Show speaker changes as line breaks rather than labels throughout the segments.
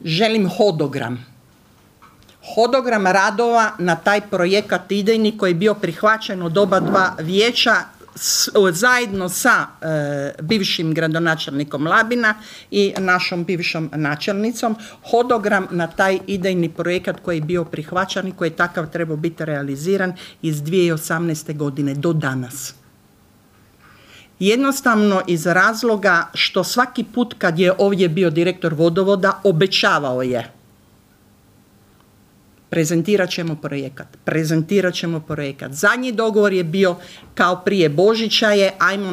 želim hodogram. Hodogram radova na taj projekat idejni koji je bio prihvaćen od oba dva vijeća zajedno sa bivšim gradonačelnikom Labina i našom bivšom načelnicom. Hodogram na taj idejni projekat koji je bio prihvaćen i koji je takav trebao biti realiziran iz 2018. godine do danas. Jednostavno iz razloga što svaki put kad je ovdje bio direktor vodovoda obećavao je prezentirat ćemo projekat. Zadnji dogovor je bio kao prije Božića je, ajmo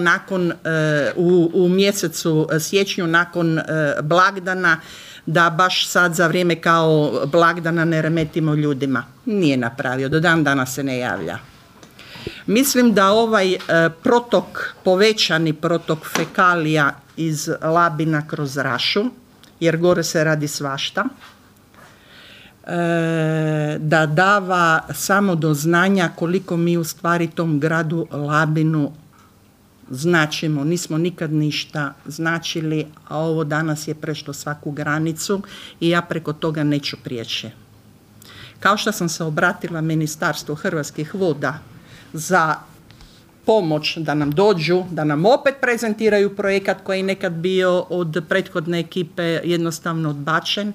u mjesecu siječnju nakon blagdana, da baš sad za vrijeme kao blagdana ne remetimo ljudima. Nije napravio, do dan danas se ne javlja. Mislim da ovaj povećani protok fekalija iz Labina kroz Rašu, jer gore se radi svašta, da dava samo do znanja koliko mi u stvari tom gradu Labinu značimo. Nismo nikad ništa značili, a ovo danas je prešlo svaku granicu i ja preko toga neću prijeći. Kao što sam se obratila Ministarstvu Hrvatskih voda za pomoć da nam dođu, da nam opet prezentiraju projekat koji je nekad bio od prethodne ekipe jednostavno odbačen,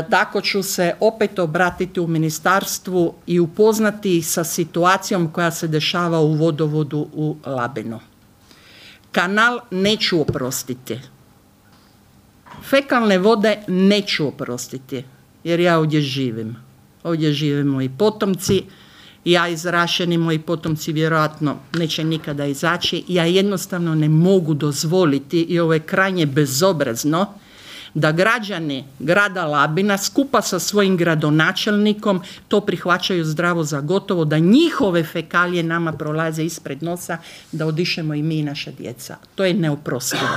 tako ću se opet obratiti u ministarstvu i upoznati ih sa situacijom koja se dešava u vodovodu u Labinu. Kanal neću oprostiti. Fekalne vode neću oprostiti, jer ja ovdje živim. Ovdje žive moji potomci, ja iz Rašeni, moji potomci vjerojatno neće nikada izaći. Ja jednostavno ne mogu dozvoliti, i ovo je krajnje bezobrazno, da građani grada Labina skupa sa svojim gradonačelnikom to prihvaćaju zdravo za gotovo, da njihove fekalije nama prolaze ispred nosa, da odišemo i mi i naša djeca. To je neoprostivo.